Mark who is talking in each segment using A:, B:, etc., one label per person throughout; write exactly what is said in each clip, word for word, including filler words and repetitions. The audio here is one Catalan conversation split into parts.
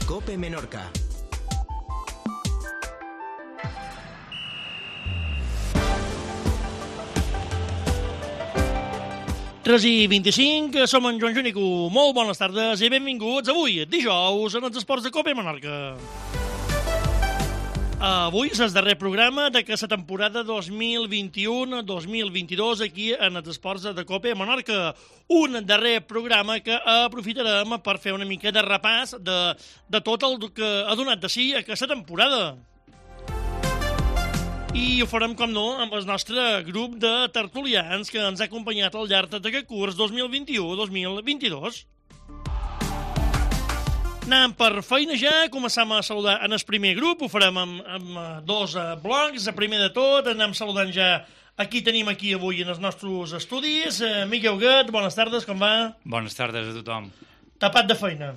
A: COPE Menorca.
B: tres i vint-i-cinc, som en Joan Junico. Molt bones tardes i benvinguts avui, dijous, en els esports de COPE Menorca. Avui és el darrer programa d'aquesta temporada dos mil vint-i-u dos mil vint-i-dos aquí en els esports de COPE Menorca. Un darrer programa que aprofitarem per fer una mica de repàs de, de tot el que ha donat de si aquesta temporada. I ho farem, com no, amb el nostre grup de tertulians que ens ha acompanyat al llarg d'aquest curs dos mil vint-i-u dos mil vint-i-dos. Anem per feina ja, començam a saludar en el primer grup, ho farem amb, amb dos blocs. El primer de tot, anem saludant ja a qui tenim aquí avui en els nostres estudis. Miquel Huguet, bones tardes, com va?
C: Bones tardes a tothom.
B: Tapat de feina.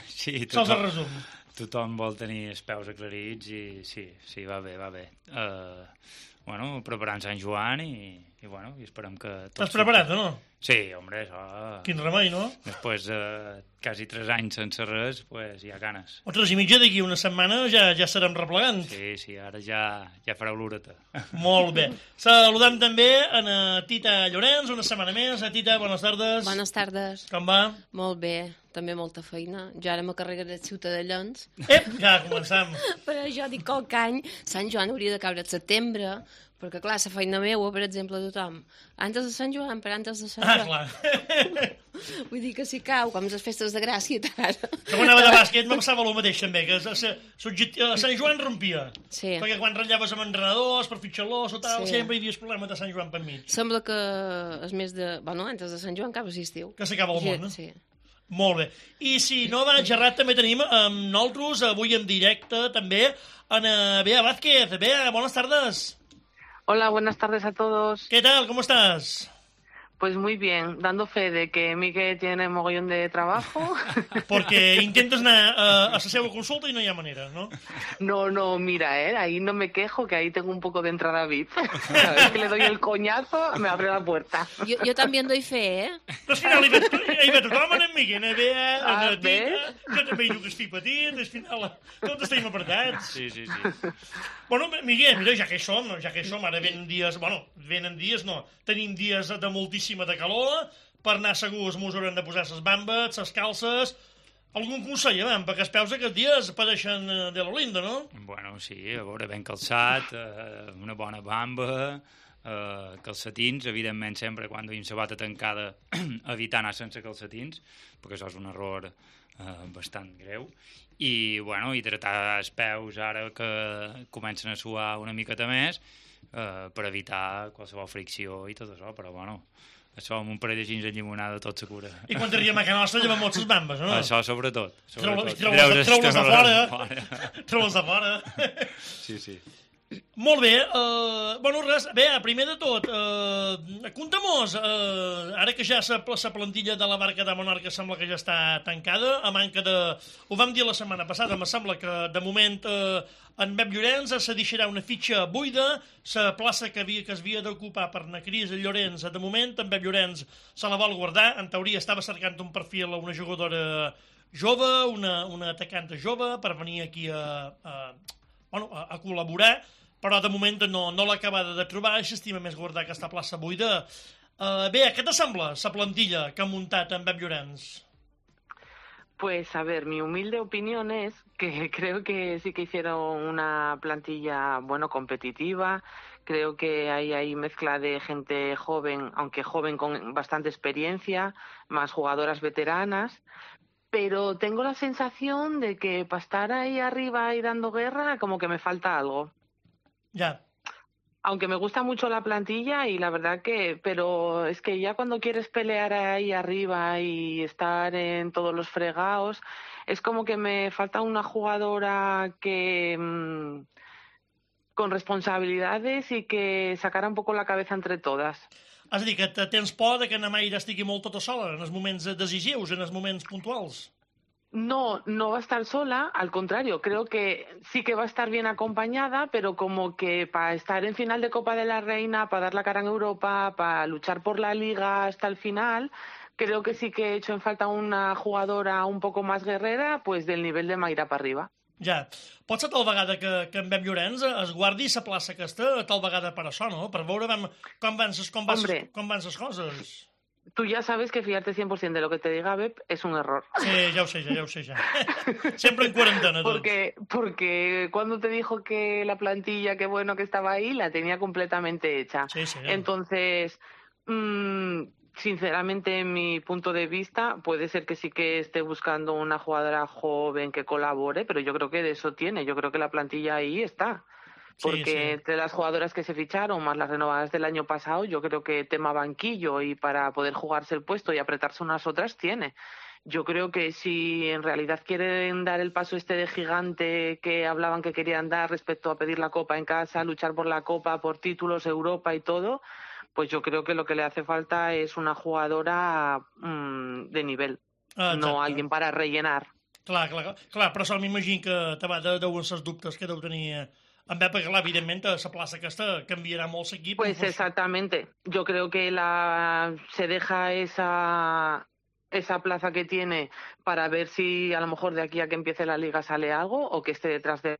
C: Sí,
B: Sols el
C: tothom,
B: resum.
C: tothom vol tenir els peus aclarits i sí, sí, va bé, va bé. Uh, bueno, preparant Sant Joan i, i bueno, i esperem que...
B: T'has preparat, o no?
C: Sí, hombre, això...
B: Quin remei, no?
C: Després de uh, quasi tres anys sense res, pues hi ha ganes.
B: O tres i mitja, d'aquí una setmana ja ja estarem replegant.
C: Sí, sí, ara ja, ja fareu l'horeta.
B: Molt bé. Saludem també a la Tita Llorenç, una setmana més. A Tita, bones tardes.
D: Bones tardes.
B: Com va?
D: Molt bé, també molta feina. Jo ara me carregaré de ciutadans.
B: Ep, ja començam.
D: Però jo dic que cada any Sant Joan hauria de caure al setembre, perquè clar, la feina meua, per exemple, tothom. Antes de Sant Joan, per antes de Sant
B: Ah,
D: Joan.
B: clar.
D: Vull dir que si cau, com les festes de Gràcia, tant.
B: Com anava de bàsquet, me passava el mateix, també, que a Sant Joan rompia.
D: Sí.
B: Perquè quan ratllaves amb entrenadors, per fitxar-los o tal,
D: Sí.
B: sempre hi havia el problema de Sant Joan per mig.
D: Sembla que és més de... Bueno, antes de Sant Joan acaba l'estiu.
B: Que s'acaba el món, no?
D: Sí.
B: Molt bé. I si no vaig errat, també tenim amb nosaltres, avui en directe, també, en Bea Vázquez. Bea, bones tardes.
E: Hola, buenas tardes a todos.
B: ¿Qué tal? ¿Cómo estás?
E: Pues muy bien, dando fe de que Miguel tiene mogollón de trabajo.
B: Porque intentas anar a, a la seva consulta y no hi ha manera, ¿no?
E: No, no, mira, ¿eh? Ahí no me quejo, que ahí tengo un poco de entrada V I P. Cada vez que le doy el coñazo, me abre la puerta.
D: Jo, jo també en doy fe, eh?
B: Però al final hi ve, hi ve tothom, en Miguel, en Bea, en
E: Ah,
B: la Tita,
E: bé.
B: jo també hi duc el fill petit, al final tots estem apretats.
C: Sí, sí, sí.
B: Bueno, Miguel, mira, ja que hi som, ja que hi som, ara venen dies, bueno, venen dies, no, tenim dies de moltíssima de calor, per anar segurs mos haurem de posar les bambes, les calces. Algun consell, eh, perquè els peus aquests dies pareixen eh, de lo lindo, no?
C: Bueno, sí, a veure, ben calçat, eh, una bona bamba, eh, calcetins, evidentment sempre quan duim sabata tancada evitar anar sense calcetins, perquè això és un error eh, bastant greu. I, bueno, hidratar els peus ara que comencen a suar una miqueta més eh, per evitar qualsevol fricció i tot això, però, bueno, això amb un parell de gins de llimonada tot se cura.
B: I quan t'arribem a casa nostra llevem moltes bambes, no?
C: Això sobretot. sobretot.
B: Treu-les de
C: Treure's-
B: fora. Treu-les de fora.
C: Sí, sí.
B: Molt bé, uh, bueno, res, bé, primer de tot, uh, conta-mos, uh, ara que ja la, la plantilla de la barca de Menorca sembla que ja està tancada, a manca de... Ho vam dir la setmana passada, me sembla que de moment uh, en Pep Llorenç se deixarà una fitxa buida, la plaça que, havia, que es havia d'ocupar per na Cris Llorenç, de moment en Pep Llorenç se la vol guardar, en teoria estava cercant un perfil a una jugadora jove, una, una atacant jove, per venir aquí a, a, bueno, a, a col·laborar, però de moment no, no l'ha acabada de trobar i s'estima més guardar aquesta plaça buida. Uh, bé, què t'assembla la plantilla que ha muntat en Pep Llorenç?
E: Pues a ver, mi humilde opinión es que creo que sí que hicieron una plantilla, bueno, competitiva. Creo que hay ahí mezcla de gente joven, aunque joven con bastante experiencia, más jugadoras veteranas. Pero tengo la sensación de que para estar ahí arriba y dando guerra, como que me falta algo.
B: Ja.
E: Aunque me gusta mucho la plantilla y la verdad que, pero es que ya cuando quieres pelear ahí arriba y estar en todos los fregados, es como que me falta una jugadora que mmm, con responsabilidades y que sacara un poco la cabeza entre todas.
B: És a dir, que tens por de que na Mayra estigui molt tota sola en els moments decisius, en els moments puntuals.
E: No, no va a estar sola, al contrario, creo que sí que va a estar bien acompañada, pero como que para estar en final de Copa de la Reina, para dar la cara en Europa, para luchar por la Liga hasta el final, creo que sí que he hecho en falta una jugadora un poco más guerrera, pues del nivel de Mayra para arriba.
B: Ja. Pot ser tal vegada que, que en Bem Llorenç es guardi la plaça aquesta tal vegada per això, no? Per veure vam, com van ses, com van ses, com van ses coses.
E: Tú ya sabes que fiarte cien por ciento de lo que te diga Bep es un error.
B: Sí, ya lo sé, ya lo sé, ya. Siempre en cuarentena.
E: Porque, porque cuando te dijo que la plantilla, qué bueno que estaba ahí, la tenía completamente hecha.
B: Sí, sí.
E: Entonces, mmm, sinceramente, en mi punto de vista, puede ser que sí que esté buscando una jugadora joven que colabore, pero yo creo que de eso tiene. Yo creo que la plantilla ahí está. Porque
B: sí, sí.
E: entre las jugadoras que se ficharon, más las renovadas del año pasado, yo creo que tema banquillo y para poder jugarse el puesto y apretarse unas otras tiene. Yo creo que si en realidad quieren dar el paso este de gigante que hablaban que querían dar respecto a pedir la Copa en casa, luchar por la Copa, por títulos, Europa y todo, pues yo creo que lo que le hace falta es una jugadora mmm, de nivel,
B: ah,
E: no alguien para rellenar.
B: Clar, clar, clar, però això m'imagino que també deuen ser els dubtes que deu tenir en Bep, perquè clar, evidentment la plaça aquesta canviarà molt l'equip.
E: Pues exactamente, yo creo que la se deja esa esa plaza que tiene para ver si a lo mejor de aquí a que empiece la liga sale algo o que esté detrás de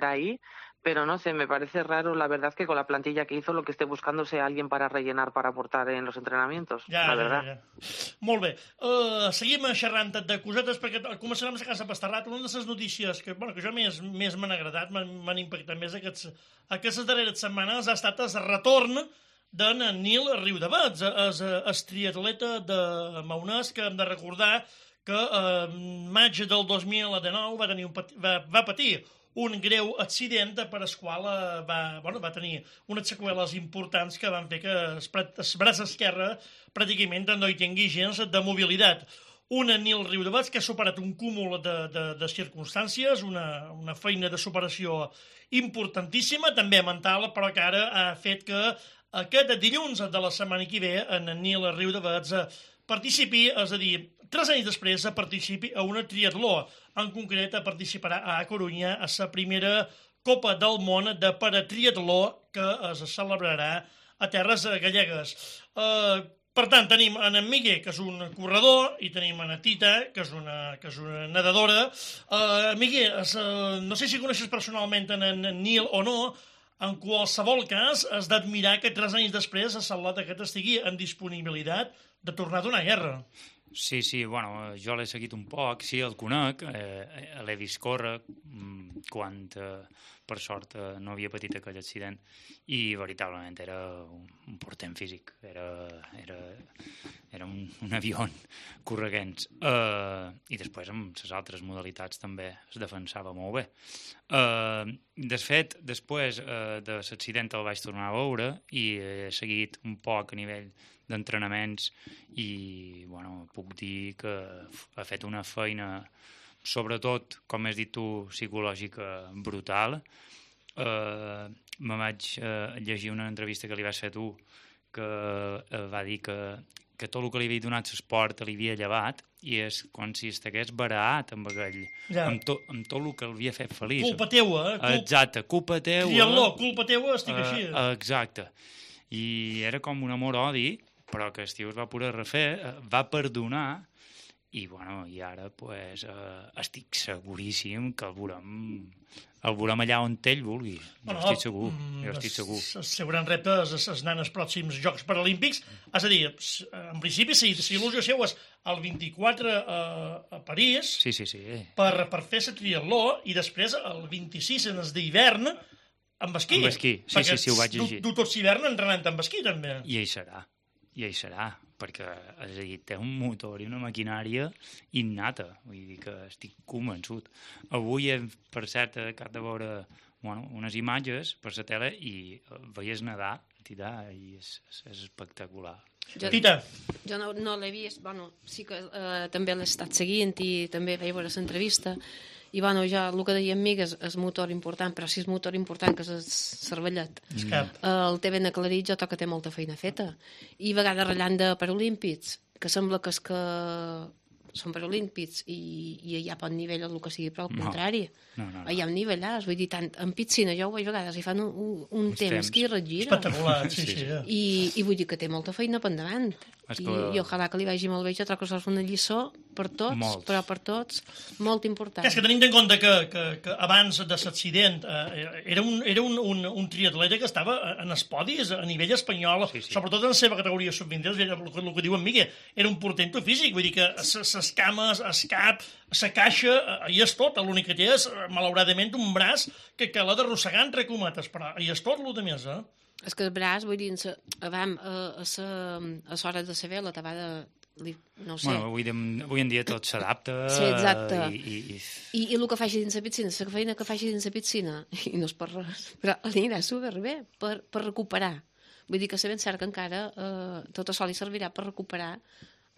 E: ahí, pero no sé, me parece raro la verdad que con la plantilla que hizo lo que esté buscando sea alguien para rellenar, para aportar en los entrenamientos,
B: ja,
E: la verdad.
B: Ja, ja. Molt bé, uh, seguim xerrant de cosetes perquè començarem a casa Pastarrat. Una de les notícies que, bueno, que jo més, més m'han agradat, m'han impactat més aquests, aquestes darreres setmanes ha estat el retorn d'en Nil Riudavets, el, el triatleta de Maonès, que hem de recordar que en maig del dos mil dinou va, tenir un pati, va, va patir un greu accident per el qual va, bueno, va tenir unes seqüeles importants que van fer que el, el braç esquerre pràcticament no hi tingui gens de mobilitat. Un Nil Riudavets que ha superat un cúmul de, de, de circumstàncies, una, una feina de superació importantíssima, també mental, però que ara ha fet que aquest dilluns de la setmana que ve en Nil Riudavets participi, és a dir, tres anys després participi a una triatló. En concret participarà a Corunya a la primera Copa del Món de paratriatló que es celebrarà a terres gallegues. Eh, per tant, tenim en Miguel, que és un corredor, i tenim en Tita, que és una, que és una nedadora. Eh, Miguel, es, eh, no sé si coneixes personalment en, en Nil o no. En qualsevol cas, has d'admirar que tres anys després el Salot aquest estigui en disponibilitat de tornar a donar guerra.
C: Sí, sí, bueno, jo l'he seguit un poc, sí, el conec, eh, l'he vist córrer quan, eh, per sort, eh, no havia patit aquell accident i veritablement era un, un portent físic, era, era, era un, un avió correguents. Eh, I després amb les altres modalitats també es defensava molt bé. Eh, de fet, després eh, de l'accident el vaig tornar a veure i he seguit un poc a nivell d'entrenaments i bueno, puc dir que ha fet una feina, sobretot, com has dit tu, psicològica brutal. Eh, me vaig eh, llegir una entrevista que li vas fer tu que eh, va dir que, que tot el que li havia donat l'esport li havia llevat i és com si estigués baraat amb aquell,
B: ja.
C: amb, to, amb tot el que l'havia fet feliç.
B: Culpa teua, eh? Culpa...
C: Exacte, culpa teua.
B: Triatló, culpa teua, estic
C: eh,
B: així.
C: Exacte. I era com un amor-odi, però que el tio es va poder refer, va perdonar, i, bueno, i ara pues, eh, estic seguríssim que el veurem, el veurem allà on ell vulgui. Jo
B: bueno,
C: estic segur, jo estic segur.
B: El seu gran repte es anar als pròxims Jocs Paralímpics. És a dir, en principi, si, si il·lusió seu és el vint-i-quatre a, a París,
C: sí, sí, sí.
B: Per, per fer la triatló, i després el vint-i-sis en el d'hivern, amb esquí.
C: Amb esquí, sí, sí, sí, ho vaig llegir.
B: Du, du tot l'hivern entrenant amb esquí, també.
C: I ell serà. I ell serà, perquè és a dir, té un motor i una maquinària innata, vull dir que estic convençut. Avui, per cert, acabo de veure bueno, unes imatges per la tele i veies nedar, tirar, i és, és, és espectacular.
B: Jo, Tita.
D: Jo no, no l'he vist, bueno, sí que eh, també l'he estat seguint i també vaig veure l'entrevista. I bueno, ja el que deia amic és, és motor important, però si és motor important que és el cervellet.
B: Mm.
D: El té ben aclarit, jo que té molta feina feta. I a vegades ratllant de Paralímpics, que sembla que és que són Paralímpics i, i hi ha pot nivell el que sigui, però al
C: no.
D: contrari.
C: No, no, no.
D: Hi ha un nivellàs, vull dir, tant en piscina jo ho veig a vegades i fan un, un, un temps, temps que hi regira.
B: Espectacular, sí, sí. sí.
D: I, I vull dir que té molta feina per endavant. I, i ojalà que li vagi molt bé. Jo trobo que això és una lliçó per tots,
C: Molts.
D: però per tots molt important.
B: És que tenim en compte que, que, que abans de l'accident eh, era, un, era un, un, un triatleta que estava en els podis a nivell espanyol, sí, sí. sobretot en la seva categoria sub vint, el, el, el que diu en Miquel, era un portento físic, vull dir que les cames, el cap, la caixa, hi és tot, l'únic que té és, malauradament, un braç que, que l'ha d'arrossegar entre cometes, però hi és tot el de més, eh?
D: És que el braç, vull dir, a, a, a, a l'hora de saber la tabada, li, no ho sé.
C: Bueno, avui, de, avui en dia tot s'adapta.
D: Sí, exacte.
C: I, i, i...
D: I, I el que faci dins la piscina, la feina que faci dins la piscina, i no és per res, però anirà superbé per, per recuperar. Vull dir que sé ben cert que encara eh, tot això li servirà per recuperar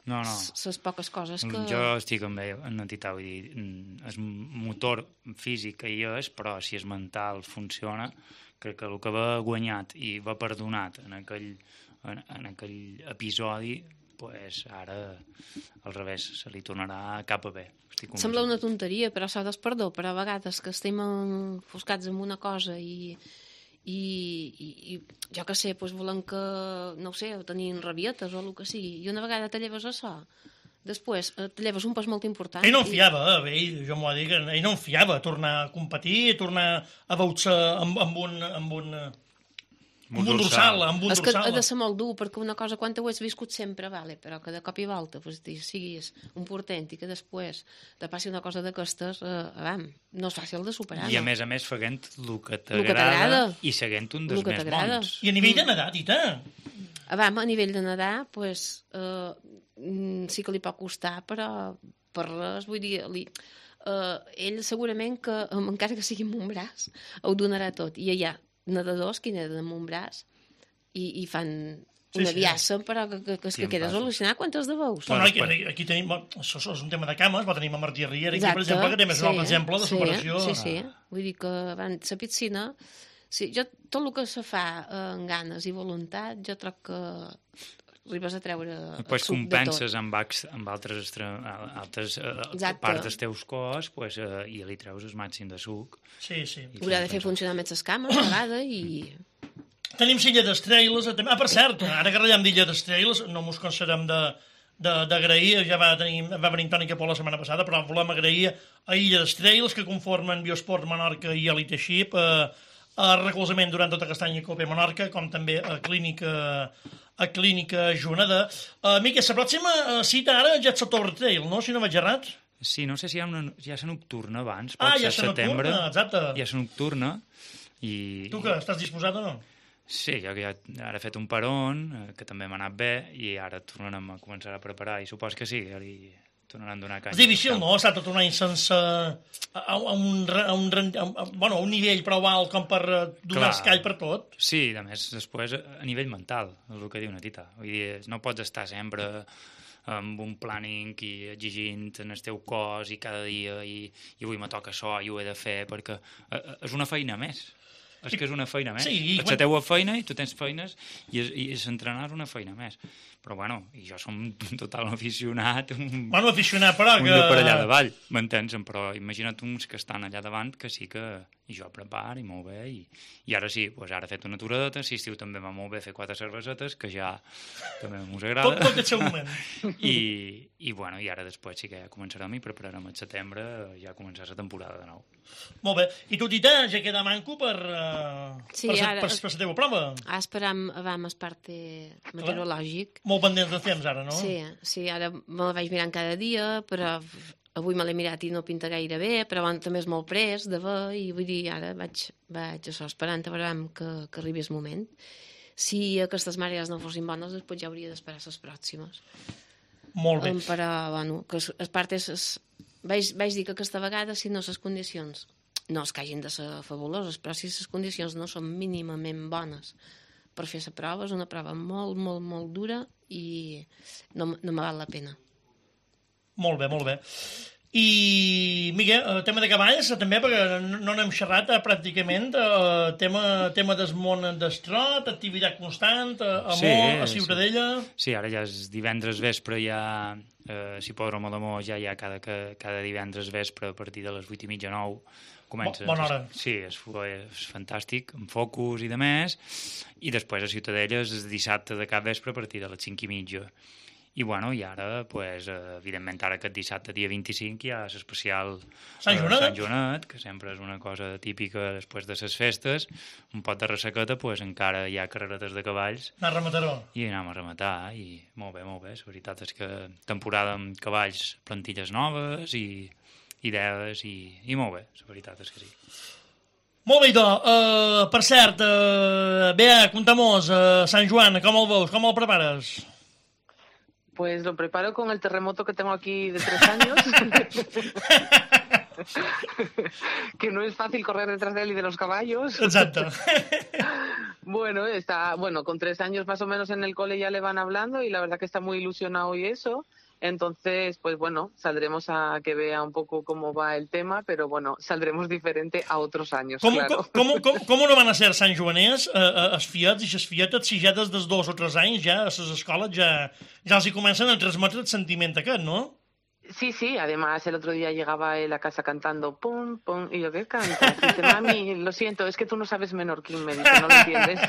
C: No, no.
D: les poques coses que...
C: Jo estic amb ell, en entitat, vull dir, el motor físic que hi és, però si és mental funciona, crec que el que va guanyat i va perdonat en aquell, en, en aquell episodi, pues ara al revés, se li tornarà cap a bé.
D: Sembla una tonteria, però s'ha de perdó, però a vegades que estem enfoscats en una cosa i... I, i, i jo que sé, doncs volem que, no ho sé, tenir rabietes o el que sigui, i una vegada te lleves això, després te lleves un pas molt important.
B: Ell no en fiava, eh? Ell, jo m'ho dic, ell no en fiava tornar a competir, tornar a veure amb, amb un... Amb un amb un dorsal, amb un
D: és
B: dorsal.
D: És que ha de ser molt dur, perquè una cosa, quan ho has viscut sempre, vale, però que de cop i volta pues, siguis un portent i que després te passi una cosa d'aquestes, eh, vam, no és fàcil de superar.
C: I a
D: no?
C: més a més fent el que t'agrada i seguint un dels més bons.
B: I a nivell de nedar, Tita?
D: Vam, a nivell de nedar, pues, eh, sí que li pot costar, però per res, vull dir, li... Uh, ell segurament que, encara que sigui amb un braç, ho donarà tot. I hi ha nedadors que neden amb un braç i, i fan una sí, viassa, sí. Però que, que, que, que quedes al·lucinat quantes de veus.
B: Bueno, aquí, aquí tenim, això és un tema de cames, però tenim a Martí Riera, aquí, per exemple, que té més sí, un altre exemple de superació.
D: Sí, sí, sí. Vull dir que van, la piscina, sí, jo, tot el que se fa eh, amb ganes i voluntat, jo troc que arribes a treure
C: pues,
D: suc
C: compenses
D: de tot.
C: amb, amb altres, altres uh, parts dels teus cos pues, uh, i li treus el màxim de suc.
B: Sí, sí.
D: Haurà de fer funcionar més les cames a vegada i...
B: Tenim l'illa d'Estrelles. Ah, per cert, ara que ratllem d'illa d'Estrelles, no mos cansarem de d'agrair, ja va, tenir, va venir Toni Capó la setmana passada, però volem agrair a Illa d'Estrelles, que conformen Biosport Menorca i Elite Ship, a, a recolzament durant tot aquest any a Copa Menorca, com també a Clínica a Clínica Juneda. Uh, Miquel, la pròxima cita ara ja és la Torre Trail, no? Si no vaig errat.
C: Sí, no sé si hi ha una, ja és nocturna abans,
B: pot
C: ah,
B: ser
C: ja setembre.
B: Nocturna, exacte.
C: Ja és nocturna. I...
B: Tu què, estàs disposat o no?
C: Sí, jo que ja ara he fet un peron, que també m'ha anat bé, i ara tornarem a començar a preparar, i supos que sí, ara hi tornaran a donar canya.
B: És difícil, no?, estar tot un any sense... A, a, un, a, un, a, bueno, a un nivell prou alt com per donar escall per tot.
C: Sí, a més, després, a nivell mental, és el que diu una Tita. Vull dir, no pots estar sempre amb un planning i exigint en el teu cos i cada dia, i, i avui me toca això i ho he de fer, perquè és una feina més. És que és una feina més. Sí, és quan... la teua feina i tu tens feines i, i s'entrenar és una feina més. Però, bueno, i jo som un total aficionat. Un,
B: bueno, aficionat, però
C: un
B: que...
C: Un de per allà davall, m'entens? Però imagina't uns que estan allà davant que sí que... I jo preparo i molt bé. I, i ara sí, doncs ara he fet una aturadeta. Si estiu també va molt bé fer quatre cervesetes, que ja també m'us agrada.
B: Tot, tot el seu moment.
C: I, i, bueno, i ara després sí que ja començarem i prepararem el setembre, ja començar la temporada de nou.
B: Molt bé. I tu, Tita, ja queda manco per, uh,
D: sí,
B: per,
D: ara,
B: per, per la teva prova?
D: Ah, esperam abans el parte meteorològic.
B: Molt pendents de temps, ara, no?
D: Sí, sí, ara me la vaig mirant cada dia, però avui me l'he mirat i no pinta gaire bé, però bueno, també és molt pres de ver, i vull dir, ara vaig, vaig això, esperant a veure que, que arribi el moment. Si aquestes marees no fossin bones, després ja hauria d'esperar les pròximes.
B: Molt bé.
D: Um, però, bueno, que es part és... Es, vaig, vaig dir que aquesta vegada, si no les condicions, no és que hagin de ser fabuloses, però si les condicions no són mínimament bones per fer la prova, és una prova molt, molt, molt dura i no, no me val la pena.
B: Molt bé, molt bé. I Miguel, uh, tema de cavalls, també, perquè no n'hem xerrat uh, pràcticament, uh, tema, tema desmont d'estrot, activitat constant, uh, a
C: sí,
B: Mó, a Ciutadella...
C: Sí. sí, ara ja és divendres vespre, ja, eh, si Hipòdromo de Mó, ja hi ha cada, cada divendres vespre a partir de les vuit i mitja, nou, comença...
B: Bona hora.
C: Sí, és, és fantàstic, amb focus i de més, i després a Ciutadella és dissabte de cap vespre a partir de les cinc i mitja. I, bueno, i ara, pues, evidentment, ara aquest dissabte, dia vint-i-cinc, hi ha l'especial
B: Sant Joanet.
C: Sant Joanet, que sempre és una cosa típica després de les festes, un pot de ressequeta, pues, encara hi ha carreretes de cavalls.
B: Anar a rematar-ho.
C: I anem a rematar, i molt bé, molt bé. La veritat és que temporada amb cavalls, plantilles noves i idees, i, i molt bé, la veritat és que sí.
B: Molt bé, idò. Uh, per cert, uh, Bea, contem-nos, uh, Sant Joan, com el veus, com el prepares?
E: Pues lo preparo con el terremoto que tengo aquí de tres años. Que no es fácil correr detrás de él y de los caballos.
B: Exacto.
E: Bueno, está, bueno, con tres años más o menos en el cole ya le van hablando y la verdad que está muy ilusionado y eso. Entonces, pues bueno, saldremos a que vea un poco cómo va el tema, pero bueno, saldremos diferente a otros años,
B: com,
E: claro.
B: Com, com, com, com no van a ser Sant Joaners, eh, els fiets i les fietes, si ja des dels dos o tres anys ja a les escoles ja, ja els hi comencen a transmetre el sentiment aquest, no?
E: Sí, sí, además el otro día llegaba él a casa cantando pum, pum, y yo, ¿qué cantas? Y dice, mami, lo siento, es que tú no sabes menorquín, me dice, no lo entiendes.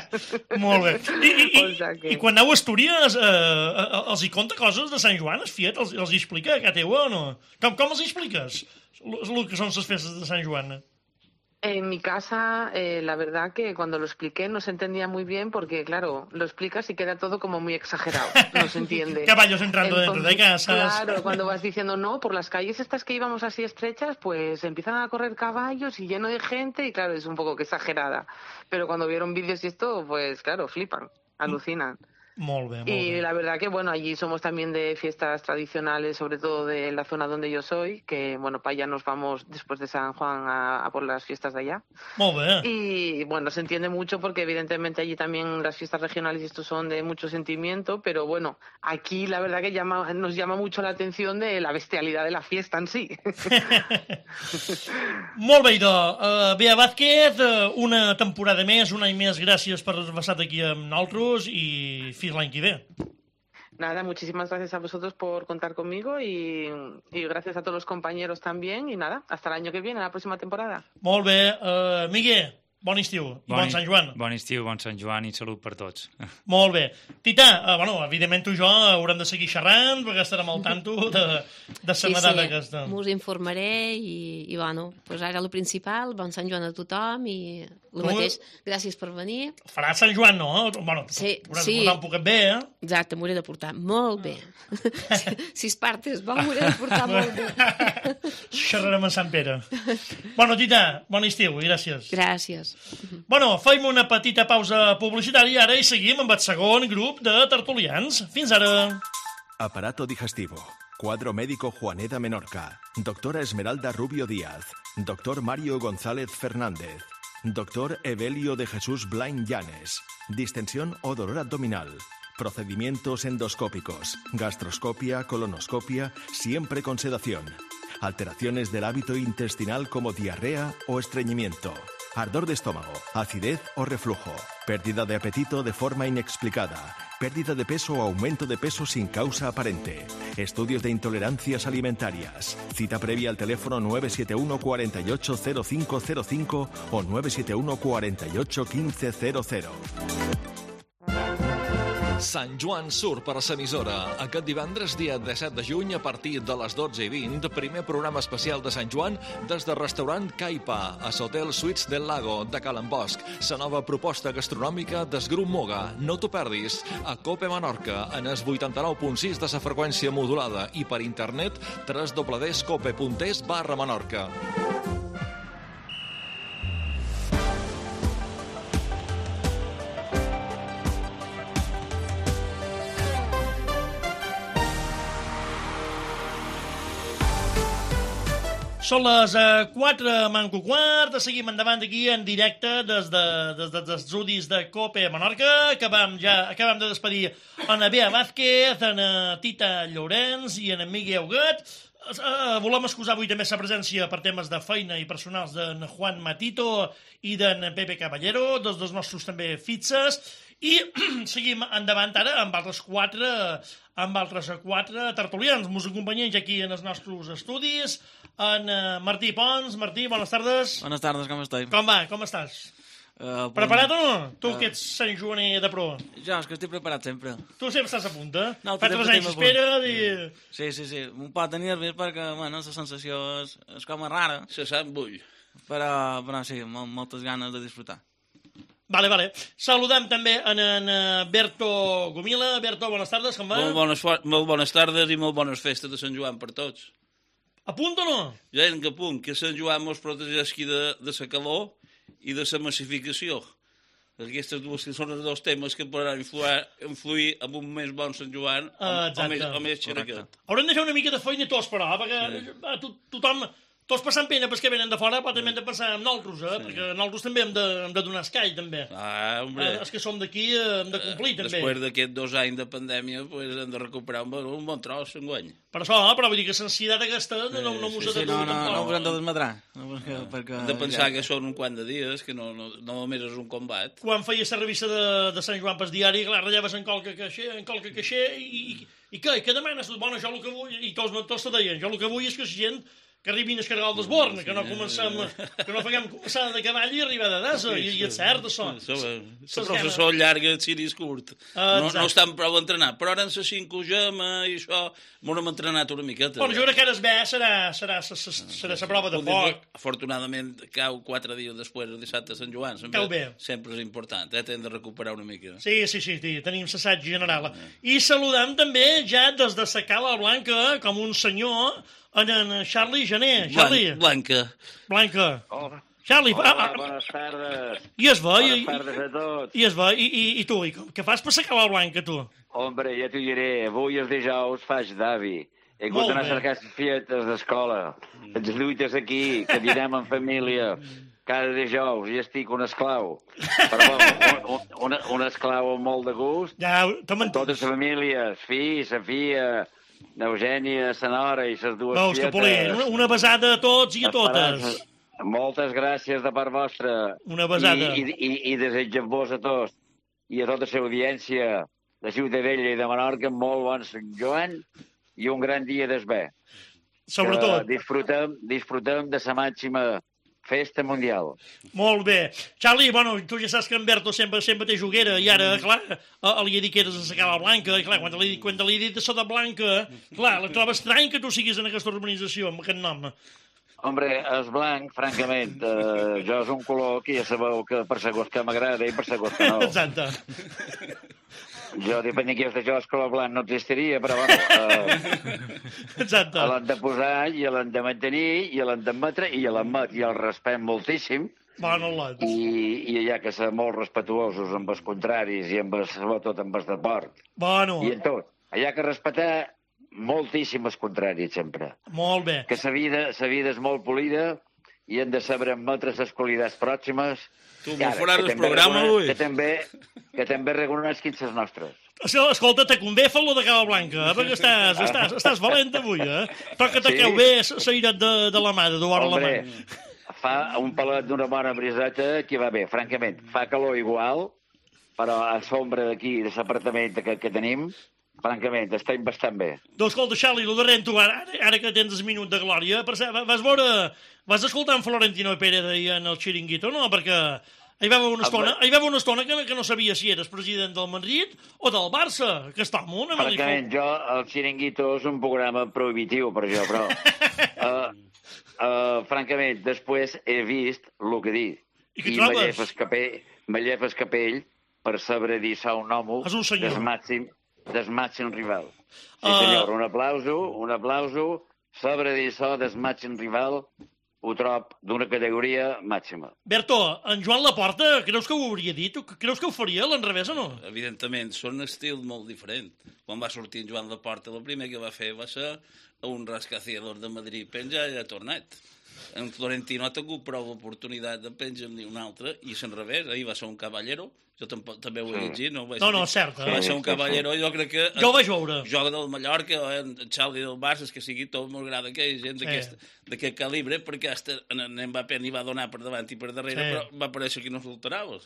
B: Molt bé. I, i, i,
E: O sea que...
B: i quan aneu a Astúries, eh, els hi conta coses de Sant Joan, els fiet, els, els hi explica a teva o no? Com, com els hi expliques el que són les festes de Sant Joan?
E: En mi casa, eh, la verdad que cuando lo expliqué no se entendía muy bien porque, claro, lo explicas y queda todo como muy exagerado, no se entiende.
B: Caballos entrando Entonces, dentro de casas.
E: Claro, cuando vas diciendo, no, por las calles estas que íbamos así estrechas, pues empiezan a correr caballos y lleno de gente y, claro, es un poco que exagerada. Pero cuando vieron vídeos y esto, pues, claro, flipan, alucinan.
B: Molt bé, molt
E: y
B: bé.
E: la verdad que, bueno, allí somos también de fiestas tradicionales, sobre todo de la zona donde yo soy, que, bueno, para allá nos vamos después de San Juan a, a por las fiestas de allá.
B: Molt bé.
E: Y, bueno, se entiende mucho porque, evidentemente, allí también las fiestas regionales y esto son de mucho sentimiento, pero, bueno, aquí la verdad que llama, nos llama mucho la atención de la bestialidad de la fiesta en sí.
B: Molt bé, idò. Uh, Bea Vázquez, uh, una temporada més, un any més, gràcies per haver estat aquí amb nosaltres i fins l'any que ve.
E: Nada, muchísimas gracias a vosotros por contar conmigo y, y gracias a todos los compañeros también. Y nada, hasta el año que viene, la próxima temporada.
B: Molt bé. Uh, Miguel, bon estiu i bon, bon Sant Joan.
C: Bon estiu, bon Sant Joan i salut per tots.
B: Molt bé. Tita, uh, bueno, evidentment tu i jo haurem de seguir xerrant perquè estarem al tanto de, de la
D: sí,
B: medalla
D: sí,
B: aquesta.
D: Us informaré i, i bueno, pues ara el principal, bon Sant Joan a tothom i el
B: Tu...
D: mateix, gràcies per venir.
B: Farà Sant Joan, no? Bueno,
D: sí,
B: hauràs
D: sí.
B: de portar un poquet bé, eh?
D: Exacte, m'hauré de portar molt bé. si, si es partes, bo, m'hauré de portar molt bé.
B: Xerrarem a Sant Pere. Bueno, Tita, bon estiu i gràcies.
D: Gràcies.
B: Bueno, fem una petita pausa publicitària ara i seguim amb el segon grup de tertulians. Fins ara.
A: Aparato digestivo. Cuadro médico Juaneda Menorca. Doctora Esmeralda Rubio Díaz. Doctor Mario González Fernández. Doctor Evelio de Jesús Blain Llanes. Distensión o dolor abdominal. Procedimientos endoscópicos. Gastroscopia, colonoscopia, siempre con sedación. Alteraciones del hábito intestinal como diarrea o estreñimiento. Ardor de estómago, acidez o reflujo. Pérdida de apetito de forma inexplicada. Pérdida de peso o aumento de peso sin causa aparente. Estudios de intolerancias alimentarias. Cita previa al teléfono nueve siete uno cuatro ocho cero cinco cero cinco o nueve siete uno cuatro ocho uno cinco cero cero.
F: Sant Joan surt per l'emissora. Aquest divendres, dia disset de juny, a partir de les dotze i vint, primer programa especial de Sant Joan des del restaurant Caipa, a l'Hotel Suites del Lago de Calen Bosch. La nova proposta gastronòmica del Grup Moga. No t'ho perdis. A Cope Menorca, en el vuitanta-nou punt sis de la freqüència modulada i per internet w w w punt cope punt es barra Menorca.
B: Són les quatre manco quart, seguim endavant aquí en directe des, de, des dels estudis de Cope a Menorca. Acabam, ja, acabam de despedir en Bea Vázquez, en Tita Llorenç i en Miguel Huguet. Uh, volem excusar avui també la presència per temes de feina i personals d'en Juan Matito i d'en Pepe Caballero, dos dels nostres també fixes, i seguim endavant ara amb altres quatre, amb altres quatre tertulians. Mos acompanyem aquí en els nostres estudis, en uh, Martí Pons. Martí, bones tardes.
G: Bones tardes, com estàs?
B: Com va, com estàs?
G: Uh,
B: Preparat o no? Tu
G: Uh,
B: que ets Sant Joaner de pro.
G: Jo, és que estic preparat sempre.
B: Tu sempre estàs a punt, eh?
G: No,
B: Fa
G: sempre
B: tres anys
G: estem a punt.
B: espera i...
G: Sí, sí, sí. Un pot tenir nervis perquè, bueno, la sensació és, és com a rara,
H: Se sap bull.
G: però, però sí, mol, moltes ganes de disfrutar.
B: Vale, vale. Saludem també en, en eh, Berto Gomila. Berto, bones tardes, com va?
H: Molt bones, fo- molt bones tardes i molt bones festes de Sant Joan per tots.
B: A punt o no?
H: Ja en que punt, que Sant Joan mos protegeixi de, de la calor i de la massificació. Aquestes dues que són els dos temes que podran influir, influir en un més bon Sant Joan o,
B: Ah,
H: o
B: exacte.
H: més, o més xeraquet.
B: Haurem de fer una mica de feina tots, però, perquè sí. to, tothom, tots passant pena pels que venen de fora, però també hem de pensar en nosaltres, eh? Sí. Perquè nosaltres també hem de, hem de donar escai, també.
H: Ah, hombre.
B: Eh, els que som d'aquí eh, hem de complir, també.
H: Després d'aquests dos anys de pandèmia, pues, hem de recuperar un, bon- un bon tros enguany.
B: Per això, però vull dir que l'ansietat aquesta no, no, no mos ha
G: Sí,
B: de
G: no,
B: dur
G: no, no ho
B: tampoc.
G: hem de desmadrar. No, perquè, perquè,
H: Hem de pensar que són un quant de dies, que no, no, no només és un combat.
B: Quan feia la revista de, de Sant Joan pel diari, clar, ratllaves en qualque caixer, en qualque caixer, i, i, i què? I què demanes? Bueno, jo el que vull, i tots, tots te deien, jo el que vull és que la gent que arribin a escarregar el desborn, que no comencem, que no faguem començar de cavall i arribar de desa, i, i és cert, això.
H: La processó llarga, el ciris curt. No, no estan prou entrenats, però ara en la cinc gema i això, m'ho hem entrenat una miqueta.
B: Bueno, jo crec que ara es ve, serà, serà, serà, serà la prova de foc.
H: Afortunadament, cau quatre dies després, el dissabte de Sant Joan. Sempre,
B: Cau bé.
H: sempre és important, eh? Hem de recuperar una mica.
B: Sí, sí, sí, sí, tenim l'assaig general. I saludem també, ja des de la Cala Blanca, com un senyor, en, en Charlie Janer. Charlie.
H: Blanca.
B: Blanca.
I: Hola.
B: Charlie,
I: Hola,
B: ah, ah,
I: bones tardes.
B: i es va,
I: Bones
B: i,
I: tardes a tots.
B: i es va, i, i, i tu, i com- què fas per la Cala Blanca, tu?
I: Hombre, ja t'ho diré, avui els dijous faig d'avi. He
B: Molt
I: hagut d'anar a
B: bé.
I: cercar les fietes d'escola. Els lluites aquí, que dinem en família. Cada dijous, i estic un esclau. Però bon, un, un, un esclau amb molt de gust.
B: Ja, t'ho
I: Totes les famílies, fi, sa fia, n'Eugènia, sa nora i ses dues
B: Veus,
I: fietes.
B: Capolín, una, una besada a tots i a totes.
I: Esperança. Moltes gràcies de part vostra.
B: Una besada.
I: I, i, i, i desitgem-vos a tots i a tota la audiència de Ciutadella i de Menorca molt bon Sant Joan i un gran dia d'esbé.
B: Sobretot.
I: Que disfrutem, disfrutem de la màxima festa mundial.
B: Molt bé. Charlie, bueno, tu ja saps que en Berto sempre, sempre té juguera, i ara, clar, eh, li he dit que eres de la Cala Blanca, i clar, quan li, quan li he dit de Soda Blanca, clar, la troba estrany que tu siguis en aquesta organització, amb aquest nom.
I: Hombre, és blanc, francament. Eh, jo és un color que ja sabeu que per segons que m'agrada i per segons que no.
B: Exacte.
I: Jo, depèn de qui és de jo, el color blanc no existiria, però bueno, eh,
B: Exacte.
I: l'hem de posar i l'hem de mantenir i l'hem d'admetre i l'admet i el respectem moltíssim
B: Bueno, lot.
I: i, i hi ha que ser molt respetuosos amb els contraris i amb el, sobretot amb els de port
B: Bueno,
I: i en tot. Hi ha que respetar moltíssim els contraris sempre.
B: molt bé.
I: Que la vida, la vida és molt polida i hem de saber admetre les qualitats pròximes.
H: Tu
I: i
H: m'ho
I: ara,
H: faràs
I: que
H: el
I: també
H: programa,
I: recone-
H: ui.
I: Que també, que també reconeixin les nostres.
B: Escolta, te convé fer-lo de Cala Blanca, eh? Perquè estàs, estàs, estàs valent avui, eh? Toca-te
I: Sí.
B: que ho bé s'airat de, de la mà, de dur la mà.
I: Hombre, fa un pelat d'una bona briseta que va bé, francament. Fa calor igual, però a sombra d'aquí, de l'apartament que, que tenim, francament, estem bastant bé.
B: Doncs escolta, Charlie, el darrer tu, ara, ara que tens el minut de glòria, per cert, vas veure, vas escoltar en Florentino Pérez ahir en el Chiringuito, no? Perquè hi va haver una estona, hi va haver una estona que, que no sabia si eres president del Madrid o del Barça, que està molt una
I: Francament, jo, el Chiringuito és un programa prohibitiu per jo, però... uh, uh, francament, després he vist el que dic.
B: I què
I: I
B: trobes?
I: me llef el capell, me llef el capell per saber dir a un home
B: És un senyor.
I: del màxim, del màxim rival. Sí,
B: Ah.
I: senyor, un aplauso, un aplauso, saber dir això del màxim rival, ho trob d'una categoria màxima.
B: Berto, en Joan Laporta, creus que ho hauria dit? Tu creus que ho faria a l'enrevés o no?
H: Evidentment, són un estil molt diferent. Quan va sortir en Joan Laporta, el primer que va fer va ser un rascacielos de Madrid penja i ha tornat. en Florentino ha tingut prou oportunitat de penjar ni un altre, i és al revés, ahir va ser un caballero, jo tampoc, també ho he llegit, no ho vaig
B: No, no,
H: dir.
B: cert.
H: Va ser un caballero, jo crec que...
B: Jo ho vaig veure.
H: Joga del Mallorca, en Xavi del Barça, és que sigui tot molt gran aquella gent
B: Sí.
H: d'aquest calibre, perquè hasta en Mbappé n'hi va donar per davant i per darrere,
B: Sí.
H: però va aparèixer que no s'alterava.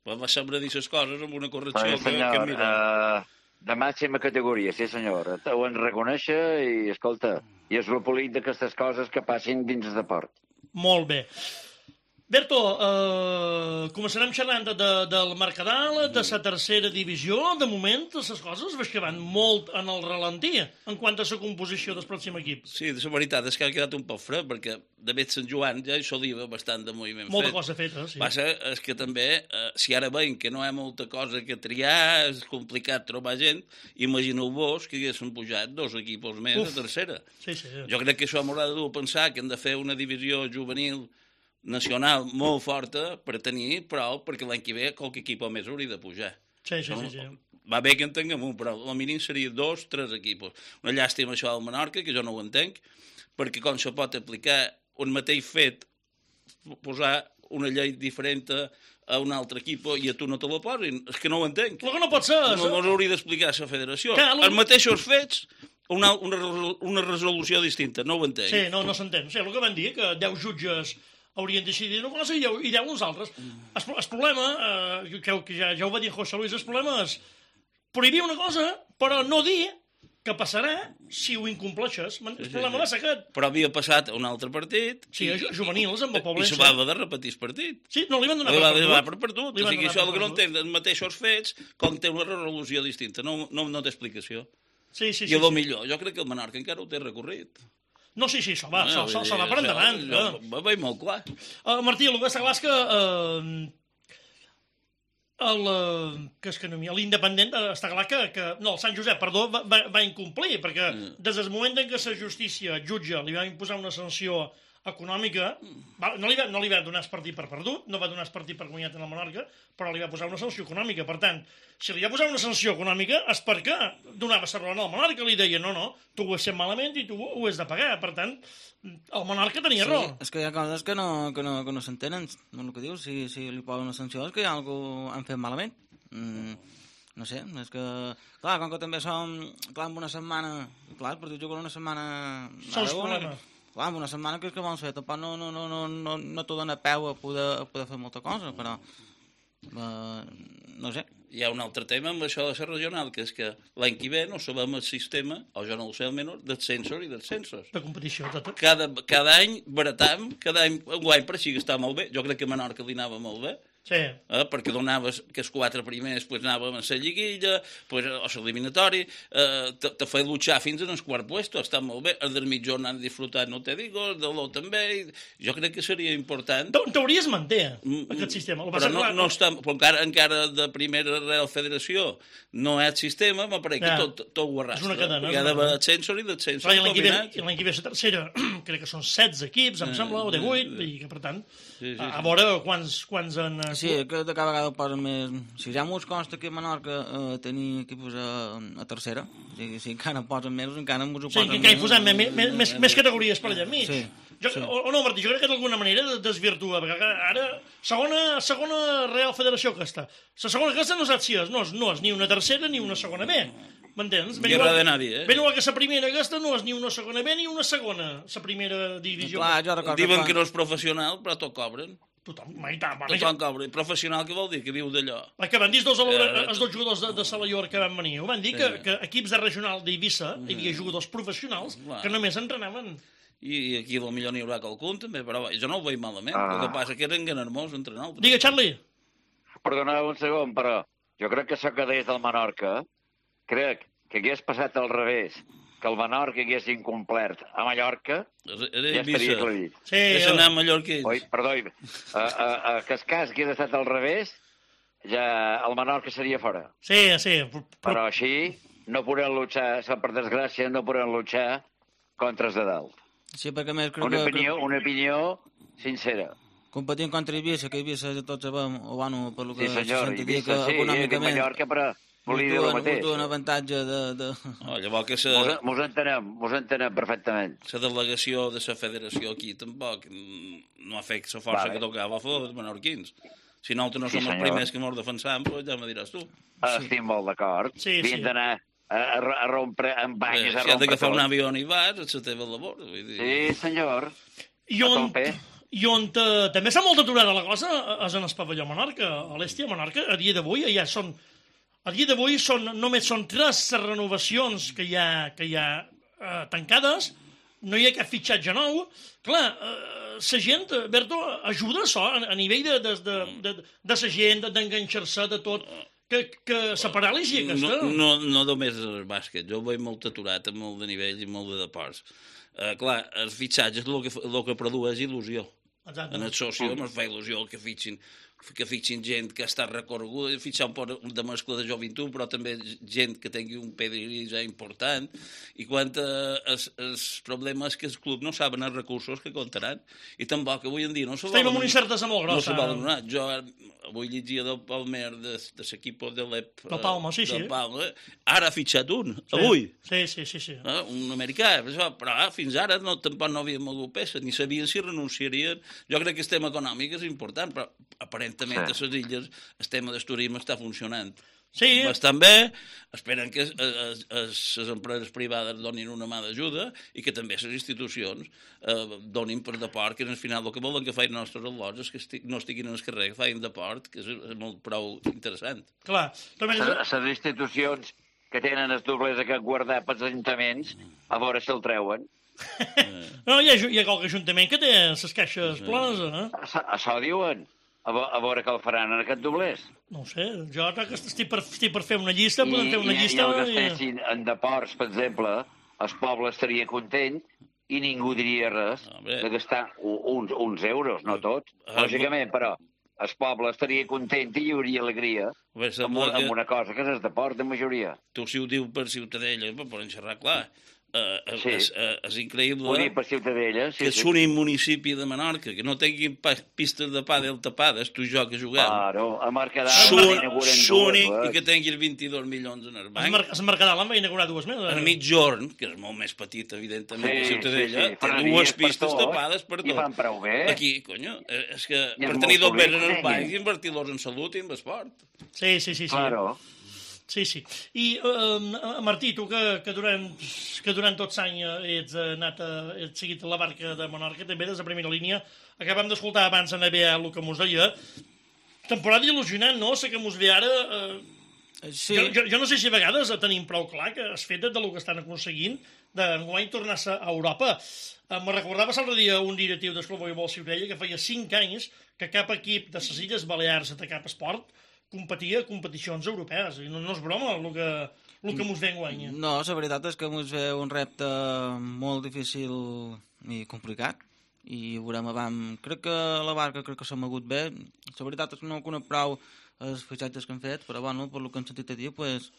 H: Va saber dir les coses amb una correcció
I: Però,
H: que, que
I: senyor,
H: mira...
I: uh, de màxima categoria, sí senyor. Ho en reconèixer i, escolta, i és el polit d'aquestes coses que passin dins el deport.
B: Molt bé. Berto, eh, començarem xerrant de, de, del Mercadal, de la tercera divisió. De moment, les coses veig que van molt en el ralentí en quant a la composició del pròxim equip.
H: Sí, la veritat és que ha quedat un poc fred, perquè de fet Sant Joan ja hi solia bastant de moviment
B: Molta
H: fet.
B: cosa feta, sí.
H: Passa és que també, eh, si ara veiem que no hi ha molta cosa que triar, és complicat trobar gent, imagineu-vos que haguessin pujat dos equips més
B: Uf.
H: a tercera.
B: Sí, sí.
H: Jo crec que això m'haurà de dur a pensar que hem de fer una divisió juvenil nacional molt forta per tenir prou, perquè l'any que ve qualque equip més hauria de pujar.
B: Sí, sí, sí, sí.
H: Va bé que en tinguem un, però el mínim seria dos, tres equipos. Una llàstima això del Menorca, que jo no ho entenc, perquè com se pot aplicar un mateix fet, posar una llei diferent a un altre equip i a tu no te la posin, és que no ho entenc.
B: El que no pot ser...
H: No mos hauria d'explicar la federació.
B: Clar, lo-
H: Els mateixos fets, una, una, una resolució distinta, no ho entenc.
B: Sí, no, no s'entén. Sí, el que van dir, que deu jutges haurien decidit una cosa i deu, i deu uns altres. El, el problema, eh, que, que ja, ja ho va dir José Luis, el problema és prohibir una cosa, però no dir què passarà si ho incompleixes. El
H: Sí, sí,
B: problema va
H: sí.
B: ser aquest.
H: Però havia passat a un altre partit...
B: Sí,
H: i,
B: ju- juvenils, amb el
H: I
B: Poblense.
H: se va haver de repetir el partit.
B: Sí, no li van donar
H: Li va,
B: per
H: li
B: perdut.
H: va per perdut.
B: Li
H: O
B: van
H: sigui,
B: donar
H: això
B: per
H: el que no
B: perdut.
H: entenc, els mateixos fets, com té una resolució distinta. No, no, no té explicació.
B: Sí, sí,
H: I
B: sí.
H: a lo
B: sí.
H: millor, jo crec que el Menorca encara ho té recorrit.
B: No, sí, sí, això va,
H: Ah,
B: això,
H: vull
B: això,
H: dir,
B: això va per
H: això-
B: endavant.
H: això
B: eh.
H: Va veure molt clar.
B: Uh, Martí, el que està clar és que uh, el, uh, que és que no, m'hi- l'independent uh, està clar que, que... No, el Sant Josep, perdó, va, va, va incomplir, perquè
H: Mm.
B: des del moment en què la justícia jutge li va imposar una sanció econòmica, va, no, li va, no li va donar el partit per perdut, no va donar el partit per guanyat en el Menorca, però li va posar una sanció econòmica. Per tant, si li va posar una sanció econòmica és perquè donava la raó al Menorca, li deia, no, no, tu ho has fet malament i tu ho has de pagar. Per tant, el Menorca tenia raó.
G: Sí, és que hi ha coses que no, que no, que no s'entenen. El que dius, si, si li posen una sanció és que hi ha alguna han fet malament. Mm, no sé, és que... Clar, com que també som... Clar, en una setmana... Clar, el partit juga una setmana...
B: Sols
G: Ara, una-
B: problema.
G: Clar, en una setmana que és que vols fer? Tampoc no, no, no, no, no, no t'ho dona peu a poder, a poder fer molta cosa, però... Uh, no sé.
H: Hi ha un altre tema amb això de ser regional, que és que l'any que ve no sabem el sistema, o jo no ho sé almenys, del censor i dels censos.
B: De competició, tot.
H: Cada, cada any baratam, cada any, un any per així que està molt bé. Jo crec que a Menorca li anava molt bé.
B: Sí.
H: Eh, perquè donaves que els quatre primers pues, anàvem a la lliguilla, pues, o l'eliminatori, eh, te, te feia luchar fins en el quart puesto, està molt bé, el del mitjón han disfrutat, no te digo, el de l'O també, jo crec que seria important.
B: En teoria es manté,
H: Mm,
B: aquest sistema. El que
H: Però
B: passa
H: no,
B: que,
H: no està, però encara, encara de primera Real Federació no hi ha sistema, m'apareix
B: Ja.
H: que tot, tot ho arrastra.
B: És una cadena,
H: Hi ha
B: és una
H: d'haver
B: cadena.
H: censor i descensor
B: Clar, i l'any que ve,
H: combinats.
B: i l'any que ve la tercera, crec que són setze equips, em
H: Eh,
B: sembla, o divuit,
H: eh,
B: i que, per tant,
H: Sí, sí,
B: a, a
H: sí.
B: veure quants, quants en... eh,
G: Sí, que de cada vegada ho posen més... Si ja mos costa aquí a Menorca eh, tenir equips a, a tercera, o sigui, si encara posen més, encara mos ho
B: Sí,
G: posen
B: que encara hi posem més, més, més, més categories per allà enmig.
G: Sí,
B: Jo,
G: sí.
B: o, o no, Martí, jo crec que d'alguna manera desvirtua, perquè ara, segona, segona Real Federació aquesta. La segona aquesta no saps si és, no és, no és ni una tercera ni una segona B. M'entens? Ben
H: Guerra
B: igual-
H: de nadie, eh?
B: Ben igual que la primera aquesta no és ni una segona B ni una segona, la primera divisió.
G: Clar, jo recordo
H: Diuen
G: quan-
H: que no és professional, però tot cobren.
B: Tothom, mai tant.
H: Tothom cobra. Professional, què vol dir? Que viu d'allò.
B: El que van dir els dos,
H: Eh,
B: els dos jugadors de, de Salallor que van venir, ho van dir
H: Sí.
B: que, que equips de regional d'Eivissa hi havia jugadors professionals
H: Clar.
B: que només entrenaven.
H: I aquí potser n'hi haurà qualcun, també, però jo no ho veig malament.
I: Ah.
H: El que passa que eren ganermós entre nosaltres.
B: Digue, Charlie.
I: Perdoneu un segon, però jo crec que això que deies del Menorca, crec que hagués passat al revés, que el Menorca hagués incomplert a Mallorca,
H: Era
I: ja estaria
H: Eivissa.
I: aclarit.
B: Sí,
H: És anar a Mallorca ells.
I: Oi, perdó, a, a, a, que el cas hagués estat al revés, ja el Menorca seria fora.
B: sí, sí.
I: Però així no podem luchar, per desgràcia, no podem luchar contra els de dalt.
G: Sí, perquè a més crec
I: Una
G: que...
I: opinió, una opinió sincera.
G: Competint contra Eivissa, que Eivissa tots sabem, o bueno, per lo que
I: Sí, senyor,
G: se sent a dir, que
I: Eivissa, sí, i
G: econòmicament...
I: Mallorca, però volia dir el
G: Mos
I: mateix.
G: duen avantatge de... de...
H: Oh, llavors que
I: Mos,
H: la,
I: mos entenem, mos entenem perfectament.
H: la delegació de la federació aquí tampoc no ha fet la força
I: Vale.
H: que tocava a favor dels menorquins. Si nosaltres no
I: Sí,
H: som els
I: senyor.
H: primers que mos defensam, pues ja me diràs tu.
I: Estic molt d'acord.
B: Sí, sí.
I: Havien d'anar a, a, a rompre amb
H: Eh,
I: banyes, a
H: si has
I: rompre
H: d'agafar
I: tot.
H: un avió i vas, és la teva labor. Vull dir.
I: Sí, senyor.
B: I
I: A
B: on,
I: tope.
B: i on eh, també està molt aturada la cosa és en el pavelló Menorca. A l'Èstia Menorca, a dia d'avui, ja són... A dia d'avui són, només són tres renovacions que hi ha, que hi ha eh, tancades, no hi ha cap fitxatge nou. Clar, eh, la gent, Berto, ajuda això a, a nivell de, de, de, de, de la gent, d'enganxar-se, de tot, que, que la paràlisi aquesta...
H: No, no, no només el bàsquet, jo ho veig molt aturat, amb molt de nivell i molt de deports. Uh, clar, els fitxatges el que, el que produeix il·lusió.
B: Exacte.
H: En el soci mm. fa il·lusió que fitxin, que fitxin gent que està recorreguda, fitxar un poc de mescla de joventut, però també gent que tingui un pedigrí ja important. I quan eh, els, els problemes que els clubs no saben els recursos que comptaran, i tampoc avui en dia no se
B: Estem
H: volen...
B: amb una incertesa molt
H: No
B: grossa.
H: se volen donar. Jo avui llegia del Palmer, de, de l'equip de l'E P...
B: Del Palma, sí, sí.
H: Del Palma. Ara ha fitxat un, avui.
B: Sí, sí, sí. sí.
H: Eh? Un americà, però, però ah, fins ara no, tampoc no havien mogut peça, ni sabien si renunciarien. Jo crec que el tema econòmic és important, però aparentament sí. a les illes el tema del turisme està funcionant
B: Sí.
H: bastant bé, esperen que les empreses privades donin una mà d'ajuda i que també les institucions eh, donin per deport, que al final el que volen que facin els nostres al·lots és que esti no estiguin en el carrer, que facin deport, que és, és molt prou interessant.
B: Clar. També...
I: Les institucions que tenen els doblers a guardar pels ajuntaments, a veure si el treuen.
B: No, hi ha, hi ha qualque ajuntament que té les caixes plenes, eh?
I: Això, això diuen. A, a veure què el faran en aquest doblers.
B: No ho sé, jo crec que estic per, estic per fer una llista, podem fer una
I: I,
B: llista...
I: I el que estessin en deports, per exemple, el poble estaria content i ningú diria res
H: Home.
I: de gastar uns, uns euros, no tot,
H: Ah,
I: lògicament, però el poble estaria content i hi hauria alegria
H: Bé,
I: amb,
H: sembla
I: una- amb
H: que
I: una cosa que és el deport de majoria.
H: tu si ho diu per Ciutadella, però poden xerrar clar. Uh,
I: Sí.
H: és, uh, és increïble
I: Ho dic per Ciutadella, sí,
H: que
I: sí.
H: l'únic municipi de Menorca que no tinguin pa pistes de pàdel tapades, tu i jo que juguem.
I: Claro, a Mercadal
H: Són
I: inauguren
H: únic
I: dues,
H: i que tinguin vint-i-dos milions en el
B: El,
H: banc.
B: Mer el Mercadal en va inaugurar dues més.
H: En Mitjorn, que és molt més petit, evidentment,
I: Sí,
H: que Ciutadella,
I: sí, sí.
H: té
I: Ferreries
H: dues
I: per
H: pistes
I: tot,
H: tapades per
I: i
H: tot.
I: fan prou bé.
H: Aquí, conyo, eh, és que
I: I
H: per
I: és
H: tenir
I: molt
H: dos béns en el
I: bonic,
H: banc
I: eh?
H: i invertir-los en salut i en esport.
B: Sí, sí, sí. sí.
I: Claro.
B: Sí, sí. I, uh, Martí, tu que, que, durant, que durant tots l'any ets anat a, ets seguit la barca de Menorca, també des de primera línia, acabem d'escoltar abans en A B A el que mos deia, temporada il·lusionant, no? Sé que mos ve ara... Uh,
G: Sí.
B: jo, jo, jo no sé si a vegades tenim prou clar que es fet del que estan aconseguint d'enguany tornar-se a Europa. Uh, me recordava l'altre dia un directiu del Club Voleibol Ciutadella que feia cinc anys que cap equip de les Illes Balears de cap esport competia a competicions europees. I no, no és broma el que, el que mos ve enguany.
G: No, la veritat és que ens ve un repte molt difícil i complicat i veurem abans. Crec que la barca crec que s'ha mogut bé. La veritat és que no conec prou els fitxatges que han fet, però bueno, per el que han sentit a dir, pues,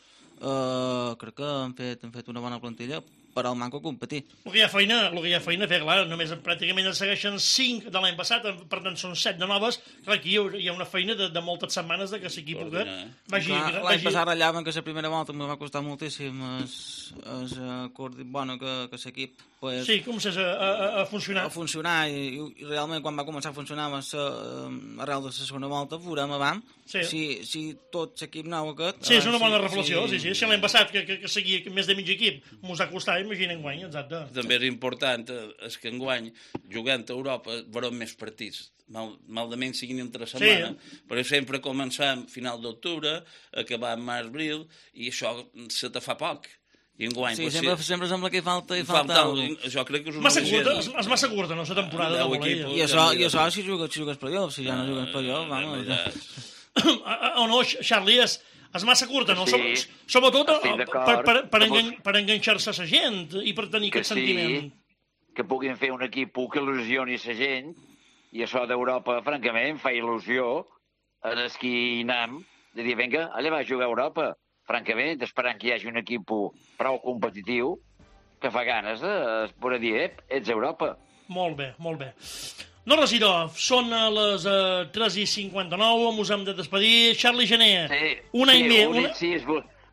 G: uh, crec que han fet, han fet una bona plantilla per al manco competir.
B: El que hi ha feina, el que hi ha feina a fer, clar, només pràcticament en segueixen cinc de l'any passat, per tant són set de noves, clar, aquí hi ha una feina de, de moltes setmanes de que l'equip que vagi...
G: Clar,
B: vagi...
G: L'any passat rallaven que la primera volta em va costar moltíssim es, es, uh, bueno, que, que l'equip pues,
B: Sí, comencés a, a, a funcionar.
G: a funcionar i, i realment quan va començar a funcionar va ser uh, arrel de la segona volta, veurem abans
B: Sí.
G: si, si tot l'equip nou aquest...
B: Sí, és una bona
G: si,
B: reflexió, sí, sí. Si l'any passat que, que, que seguia més de mig equip mos ha costat, imagina enguany, exacte.
H: També és important eh, és que enguany, jugant a Europa, veurem més partits. Mal, mal de menys siguin entre setmana, sí. Però sempre començam final d'octubre, acabar en març-abril, i això se te fa poc. I enguany,
G: Sí,
H: pues,
G: sempre,
H: si,
G: sempre sembla que hi falta, hi
H: falta,
G: falta, alguna cosa.
H: jo crec que és una
B: Massa curta, és,
H: gent-
B: és massa curta, no, la temporada de
H: Deu
B: voleibol.
H: equipos.
G: I això, i això si jugues, si jugues playoff, si ja no jugues playoff,
H: Eh,
G: vamos.
H: ja-
B: O no, Charlie, és, és massa curta, no?
I: Sí,
B: Som, sobretot
I: estic
B: eh,
I: d'acord.
B: per, per, per,
I: Que
B: engan,
I: vos-
B: per enganxar-se a la gent i per tenir
I: Que
B: aquest
I: sí,
B: sentiment.
I: que puguin fer un equip que il·lusioni la gent, i això d'Europa, francament, fa il·lusió en els qui hi anem, de dir, vinga, allà va a jugar a Europa, francament, esperant que hi hagi un equip prou competitiu, que fa ganes de poder dir, ep, ets a Europa.
B: Molt bé, molt bé. No, Residor, són a les uh, tres i cinquanta-nou, ens hem de despedir. Charlie Gené,
I: sí,
B: un any
I: sí,
B: més...
I: un
B: Una...
I: incís,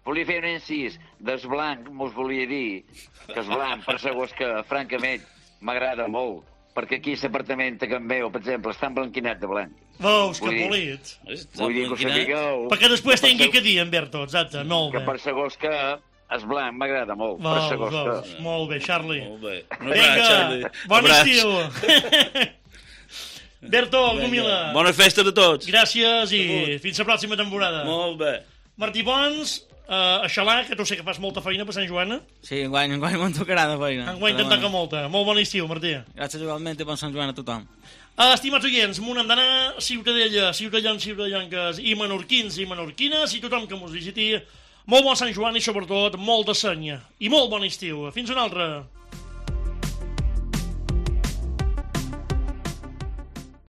I: volia fer un incís. Des blanc mos volia dir que és blanc, per segons que, francament, m'agrada molt, perquè aquí l'apartament que em veu, per exemple, està emblanquinat de blanc.
B: Veus, que polit.
I: Vull dir que ho sapigueu...
B: Perquè després tingui que dir, en Berto, exacte, molt bé.
I: Que per segons que és blanc, m'agrada molt, per
B: Veus,
I: segons
B: veus,
I: que...
B: molt bé, Charlie.
H: Molt bé.
B: Vinga, bon estiu. Berto, Gomila.
H: Bona festa de tots.
B: Gràcies i fins la pròxima temporada.
H: Molt bé.
B: Martí Pons, uh, Aixalà, que tu sé que fas molta feina per Sant Joan.
G: Sí, enguany, enguany me'n tocarà de feina.
B: Enguany te'n toca molta. Molt bon estiu, Martí.
G: Gràcies igualment i bon Sant Joan a tothom.
B: Uh, estimats oients, m'ho n'hem d'anar, Ciutadella, ciutadans, ciutadanques i menorquins i menorquines i tothom que mos visiti. Molt bon Sant Joan i sobretot molt de seny i molt bon estiu. Fins una altra.